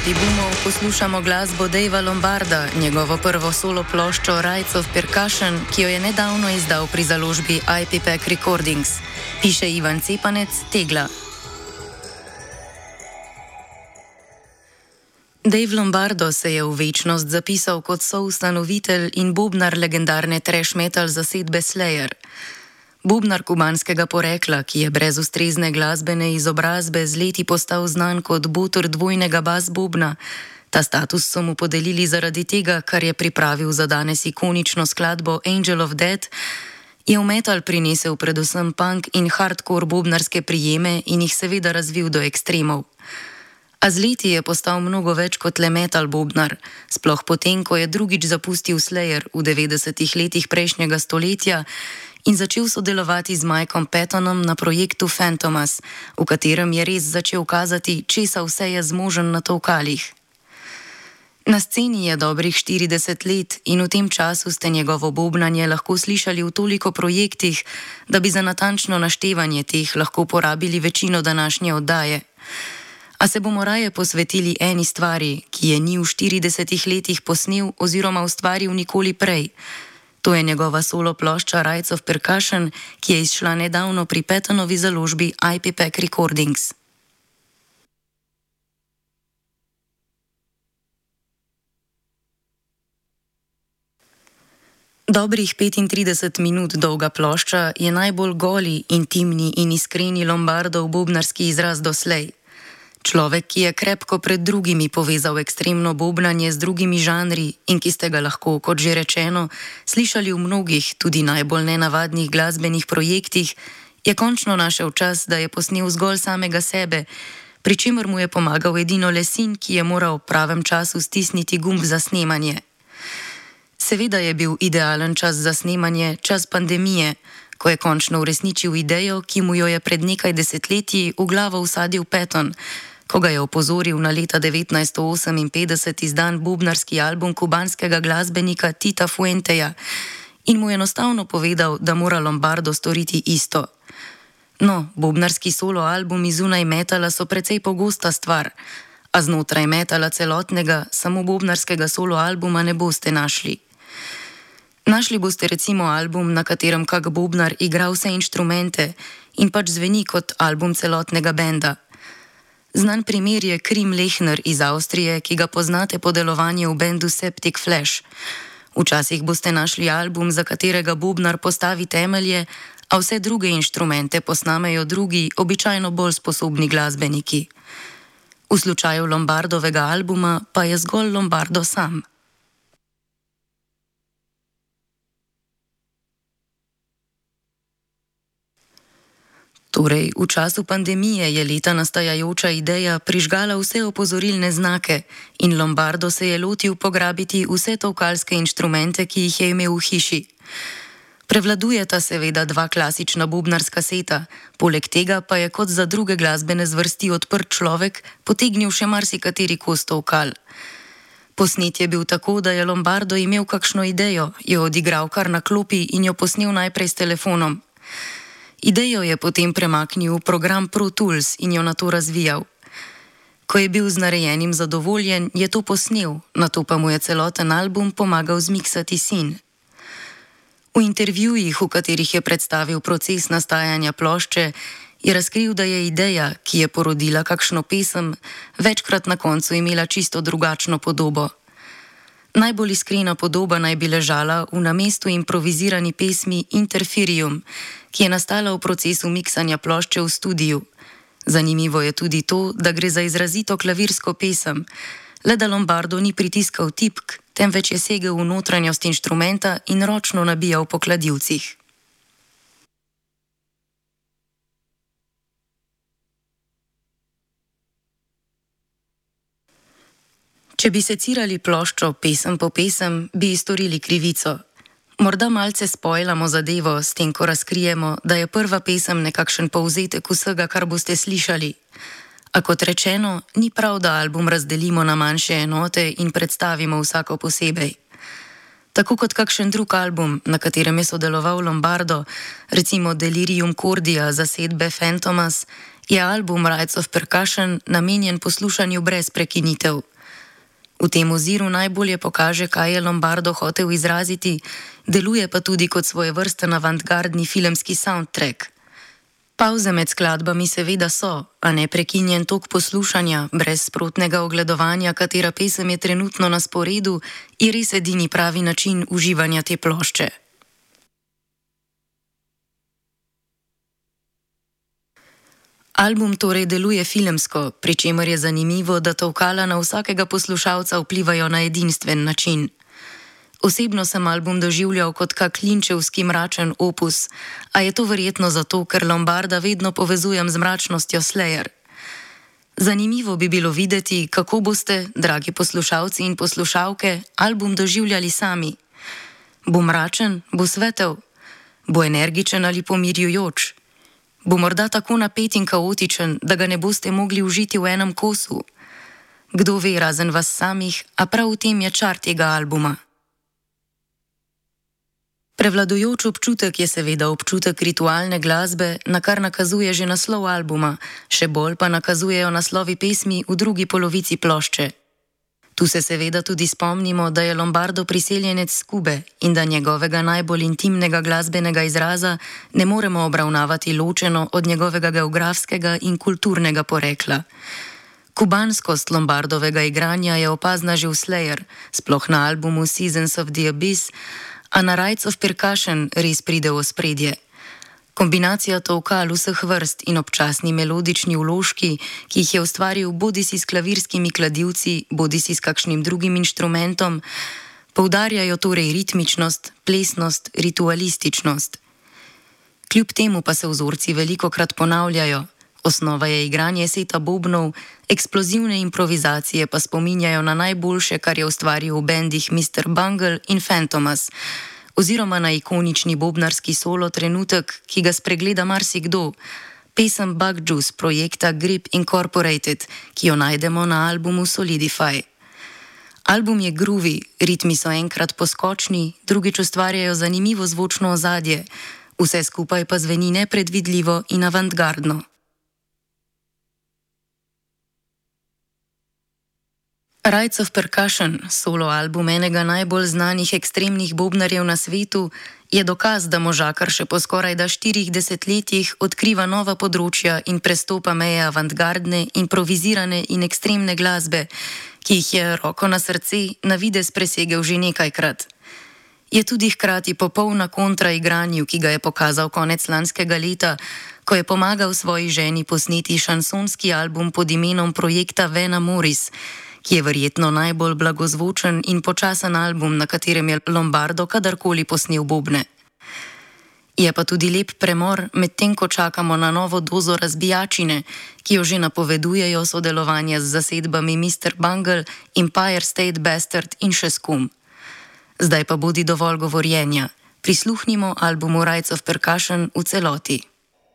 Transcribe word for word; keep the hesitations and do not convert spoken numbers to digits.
poti boomov poslušamo glasbo Davea Lombarda, njegovo prvo solo ploščo Rights of Percussion, ki jo je nedavno izdal pri založbi I P P A C Recordings. Piše Ivan Cepanec, Tegla. Dave Lombardo se je v večnost zapisal kot soustanovitelj in bobnar legendarne thrash metal zasedbe Slayer. Bobnar kubanskega porekla, ki je brez ustrezne glasbene izobrazbe z leti postal znan kot boter dvojnega bas bobna. Ta status so mu podelili zaradi tega, kar je pripravil za danes ikonično skladbo Angel of Death, je v metal prinesel predvsem punk in hardcore bobnarske prijeme in jih seveda razvil do ekstremov. A z leti je postal mnogo več kot le metal bobnar, sploh potem, ko je drugič zapustil Slayer v devetdesetih letih prejšnjega stoletja in začel sodelovati z Mikeom Pattonom na projektu Fantomas, v katerem je res začel kazati, česa vse je zmožen na tolkalih. Na sceni je dobrih štirideset let in v tem času ste njegovo bobnanje lahko slišali v toliko projektih, da bi za natančno naštevanje teh lahko porabili večino današnje oddaje. A se bomo raje posvetili eni stvari, ki je ni v štiridesetih letih posnel oziroma ustvaril nikoli prej. To je njegova solo plošča Rights of Percussion, ki je izšla nedavno pri Pattonovi založbi I P P A C Recordings. Dobrih petintrideset minut dolga plošča je najbolj goli, intimni in iskreni Lombardov bobnarski izraz doslej. Človek, ki je krepko pred drugimi povezal ekstremno bobnanje z drugimi žanri in ki ste ga lahko, kot že rečeno, slišali v mnogih, tudi najbolj nenavadnih glasbenih projektih, je končno našel čas, da je posnel zgolj samega sebe, pri čemer mu je pomagal edino le sin, ki je moral v pravem času stisniti gumb za snemanje. Seveda je bil idealen čas za snemanje čas pandemije, ko je končno uresničil idejo, ki mu jo je pred nekaj desetletji v glavo vsadil Patton, ko ga je opozoril na leta devetnajststo oseminpetdeset izdan bobnarski album kubanskega glasbenika Tita Fuenteja in mu enostavno povedal, da mora Lombardo storiti isto. No, bobnarski solo albumi zunaj metala so precej pogosta stvar, a znotraj metala celotnega, samo bobnarskega solo albuma ne boste našli. Našli boste recimo album, na katerem kak bobnar igra vse inštrumente in pač zveni kot album celotnega benda. Znan primer je Krim Lehner iz Avstrije, ki ga poznate po delovanju v bendu Septic Flesh. Včasih boste našli album, za katerega bobnar postavi temelje, a vse druge inštrumente posnamejo drugi, običajno bolj sposobni glasbeniki. V slučaju Lombardovega albuma pa je zgolj Lombardo sam. Torej, v času pandemije je leta nastajajoča ideja prižgala vse opozorilne znake in Lombardo se je lotil pograbiti vse tolkalske inštrumente, ki jih je imel v hiši. Prevladujeta seveda dva klasična bobnarska seta, poleg tega pa je kot za druge glasbene zvrsti odprt človek potegnil še marsikateri kos tolkal. Posnet je bil tako, da je Lombardo imel kakšno idejo, jo odigral kar na klopi in jo posnel najprej s telefonom. Idejo je potem premaknil v program Pro Tools in jo nato razvijal. Ko je bil z narejenim zadovoljen, je to posnel, nato pa mu je celoten album pomagal zmiksati sin. V intervjujih, v katerih je predstavil proces nastajanja plošče, je razkril, da je ideja, ki je porodila kakšno pesem, večkrat na koncu imela čisto drugačno podobo. Najbolj iskrena podoba naj bi ležala v namestu improvizirani pesmi Interferium, ki je nastala v procesu miksanja plošče v studiu. Zanimivo je tudi to, da gre za izrazito klavirsko pesem, le da Lombardo ni pritiskal tipk, temveč je segel v notranjost inštrumenta in ročno nabijal po kladivcih. Če bi secirali ploščo pesem po pesem, bi ji storili krivico. Morda malce spojlamo zadevo s tem, ko razkrijemo, da je prva pesem nekakšen povzetek vsega, kar boste slišali. A kot rečeno, ni prav, da album razdelimo na manjše enote in predstavimo vsako posebej. Tako kot kakšen drug album, na katerem je sodeloval Lombardo, recimo Delirium Cordia zasedbe Fantomas, je album Rights of Percussion namenjen poslušanju brez prekinitev. V tem oziru najbolje pokaže, kaj je Lombardo hotel izraziti, deluje pa tudi kot svojevrsten avantgardni filmski soundtrack. Pavze med skladbami seveda so, a ne prekinjen tok poslušanja, brez sprotnega ogledovanja, katera pesem je trenutno na sporedu, je res edini pravi način uživanja te plošče. Album torej deluje filmsko, pri čemer je zanimivo, da tolkala na vsakega poslušalca vplivajo na edinstven način. Osebno sem album doživljal kot kak linčevski mračen opus, a je to verjetno zato, ker Lombarda vedno povezujem z mračnostjo Slayer. Zanimivo bi bilo videti, kako boste, dragi poslušalci in poslušalke, album doživljali sami. Bo mračen, bo svetel, bo energičen ali pomirjujoč. Bo morda tako napet in kaotičen, da ga ne boste mogli užiti v enem kosu. Kdo ve, razen vas samih, a prav v tem je čar tega albuma. Prevladujoč občutek je seveda občutek ritualne glasbe, na kar nakazuje že naslov albuma, še bolj pa nakazujejo naslovi pesmi v drugi polovici plošče. Tu se seveda tudi spomnimo, da je Lombardo priseljenec s Kube in da njegovega najbolj intimnega glasbenega izraza ne moremo obravnavati ločeno od njegovega geografskega in kulturnega porekla. Kubanskost Lombardovega igranja je opazna že v Slayer, sploh na albumu Seasons of the Abyss, a na Rites of Percussion res pride v ospredje. Kombinacija tolkal vseh vrst in občasni melodični vložki, ki jih je ustvaril bodisi s klavirskimi kladivci, bodisi s kakšnim drugim inštrumentom, poudarjajo torej ritmičnost, plesnost, ritualističnost. Kljub temu pa se vzorci velikokrat ponavljajo. Osnova je igranje seta bobnov, eksplozivne improvizacije pa spominjajo na najboljše, kar je ustvaril v bendih mister Bungle in Fantomas, oziroma na ikonični bobnarski solo trenutek, ki ga spregleda marsikdo, pesem Bug Juice projekta Grip Incorporated, ki jo najdemo na albumu Solidify. Album je groovy, ritmi so enkrat poskočni, drugič ustvarjajo zanimivo zvočno ozadje, vse skupaj pa zveni nepredvidljivo in avantgardno. Rites of Percussion, solo album enega najbolj znanih ekstremnih bobnarjev na svetu, je dokaz, da možakar še po skorajda štirih desetletjih odkriva nova področja in prestopa meje avantgardne, improvizirane in ekstremne glasbe, ki jih je, roko na srce, na videz presegel že nekajkrat. Je tudi hkrati popolna kontra igranju, ki ga je pokazal konec lanskega leta, ko je pomagal svoji ženi posneti šansonski album pod imenom projekta Vena Moris, ki je verjetno najbolj blagozvočen in počasen album, na katerem je Lombardo kadarkoli posnel bobne. Je pa tudi lep premor, medtem ko čakamo na novo dozo razbijačine, ki jo že napovedujejo sodelovanje z zasedbami mister Bungle, Empire State Bastard in še s kom. Zdaj pa bodi dovolj govorjenja. Prisluhnimo albumu Rites of Percussion v celoti.